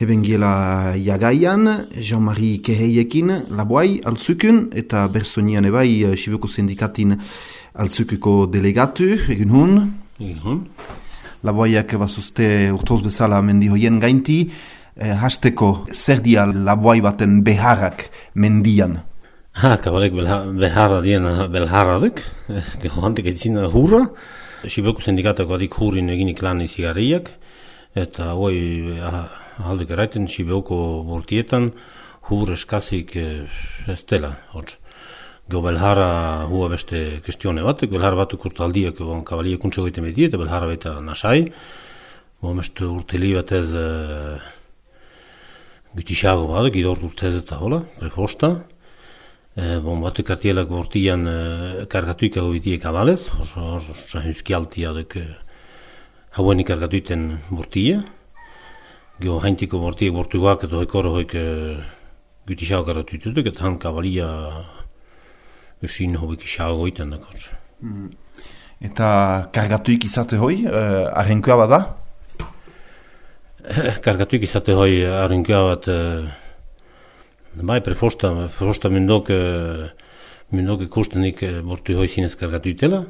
Heben giela jagaian, Jean-Marie Keheiekin laboai altzukun, eta bersonian ebai Sibeko sindikatin altzukuko delegatu, egin hun. Laboaiak bazuzte urtoz bezala mendi hoien gainti, hasteko zer dia laboai baten beharrak mendian? Kabalek beharra dien belharradek, handik etzina hurra. Sibeko sindikatako adik hurrin eginik lan izigarriak, eta hoi aldik eraiten Sibeko bortietan hur eskazik ez dela. Geo belharra hua beste kestione batek, belharra batuk urtaldiak kabaliek kuntxo goiten beti, eta belharra baita nasai. Beste urteli batez gutisago batek, idort urtez eta hola, prefosta. Batek kartielak bortian kargatuik hau bitiek abalez, huzki altiadek hauenik kargatuiten bortia. Geo haintiko bortiek bortuak eta hoikoro hoik gutisago kargatuitutuk, eta han kabalia usin hobik isago goiten dakor. Eta kargatuik izate hoi, arrenkoa bada? Kargatuik izate hoi arrenkoa bat bai, prefosta mindok ikustenik bortu hoi zinez kargatuitela,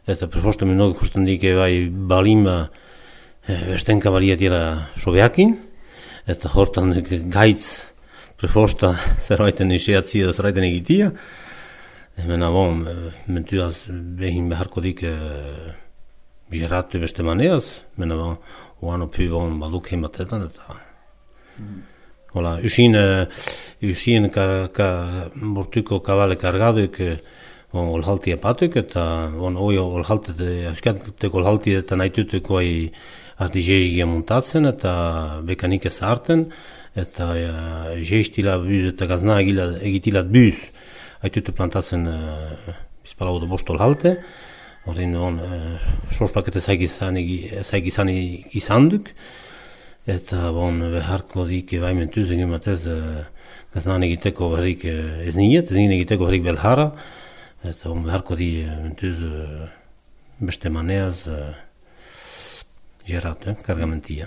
eta prefosta mindok ikustenik bai balima esten kabalia dira sobeakin, eta hortan gaitz prefosta zerraiten iseatzi edo zerraiten egitia. Mena mentuaz behin beharko dik bijaratu beste maneaz, mena oano pi baduk heimatetan, eta hola, usien bortuko kabale kargaduik olhalti apatuk, eta oi olhalteko olhalti eta naitutuko arti jeizgia montatzen, eta bekanik ez harten, eta jeiztila büz eta gazna egitilat büz, haitutu plantatzen bizpala odo bost olhalte, horrein sorsplakete zaigizani izanduk, eta beharko dik baimentuz egin batez gaznan egiteko berrik ez niet, ez egiteko berrik belhara, eta beharko di mentuz beste maneaz gerat, kargamentia.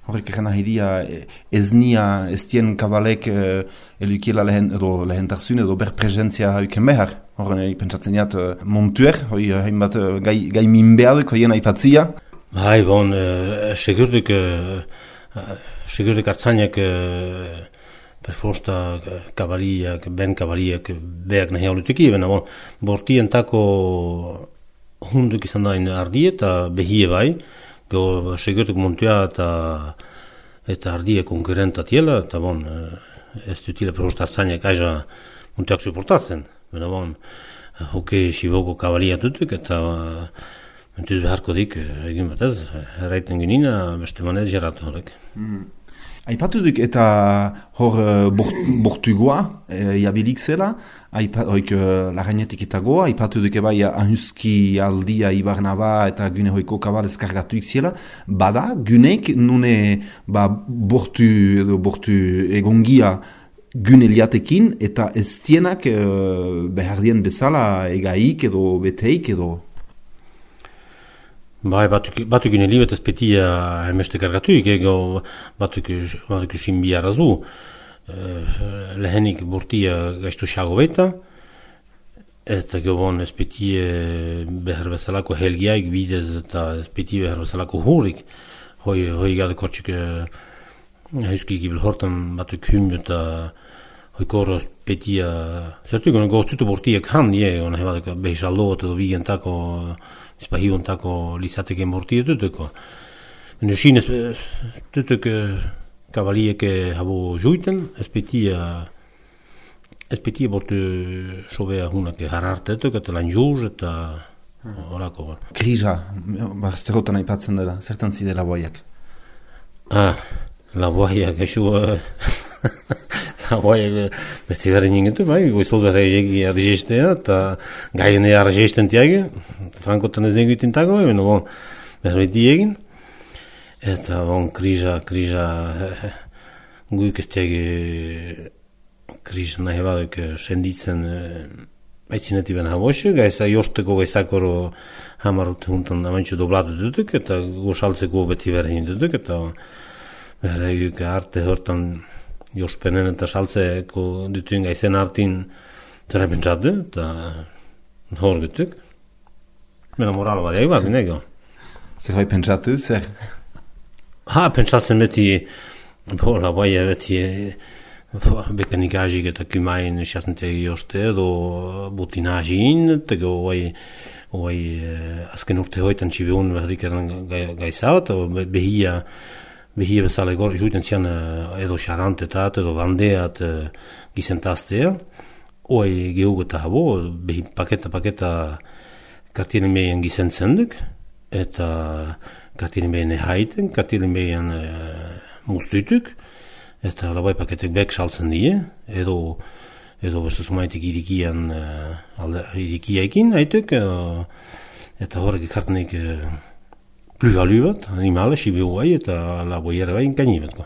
Horrek egin ahidia ez nia ez dien kabalek elukiela lehentarzun edo berpresentzia hauken behar. Horren pentsatzen jat montuer, hoi hainbat gai minbeaduk hoien aipatzia. Bai, segurdik hartzainak perfosta kabaliak, ben kabaliak beak nahi hauluteki, bena bortientako hunduk izan dain ardi eta behie bai, segurdik montua eta ardie konkurrenta tiela, eta ez dutila perfosta hartzainak aiza montuak suportatzen, bena hoke Siboko kabalia tutuk, eta mentuz beharko dik egin batez, erraiten genina beste manez jarratu horrek. Aipatu duk eta hor bortugoa jabilik zela, hoik lagainetik eta goa, aipatu duk ebai ahuzki aldia ibarnaba eta gune hoiko kabalez kargatuik zela, bada guneik nune bortu egongia gune liatekin eta ez zienak behar dien bezala egaik edo beteik edo... Bai, batuk gine libet ez petia hemeste kargatuik, batuk usin biharazu. Lehenik bortia gaiztu xago beta, eta gobon ez petie behar bezalako helgiaik bidez eta ez petie behar bezalako hurrik. Hoi gade kortxik hauskik ibel hortan batuk hymdu eta hoi korro ez petia... Zertu goztutu bortiak han, hona hebadek behizaldo edo bigentako... Izpahiontako lizateken bortia tutuko. Nusin ez tutuk kabaliek habo juiten, ez petia bortu sobea hunak hararte eta lan juz eta horako. Kriza, barazterotan aipatzen dela, zertan zide laboaiak? Laboaiak esu... Laboaiak beste berren ingetu, bai, goizol berre arregestea eta gaien arregesten tiage, frankotan ez negiten tago, berbeti egin. Eta kriza, guik ez tiage kriza nahi baduk senditzen aitzineti ben habosio, gaiza josteko gaizakoro hamarut juntan amantxo doblatu dutuk, eta gosaltzeko beti berren dutuk, eta Berreik arte hortan jospenen eta saltzeko dituen gaizen artin zera pentsatu, eta hor gutuk. Mena moral badiak bat, nego. Zer bai pentsatu, zer? Pentsatzen beti, bai beti, bekanikazik eta kumain xatentegi joste, edo butinazin, eta azken urte hoitan txibiun berdik edan gaizat, behia bezala juiten zian edo xarantetat, edo bandeat gizentaztea, gehu eta habo, behi paketa kartien meien gizentzen duk, eta kartien meien ehaiten, kartien meien mustuituk, eta labai paketek bek saltzen die, edo beste zumaitik irikiaikin haituk, eta horrek ikartenik plus-value bat, animale, sibiu bai, eta laboiere bai, inkaini batko.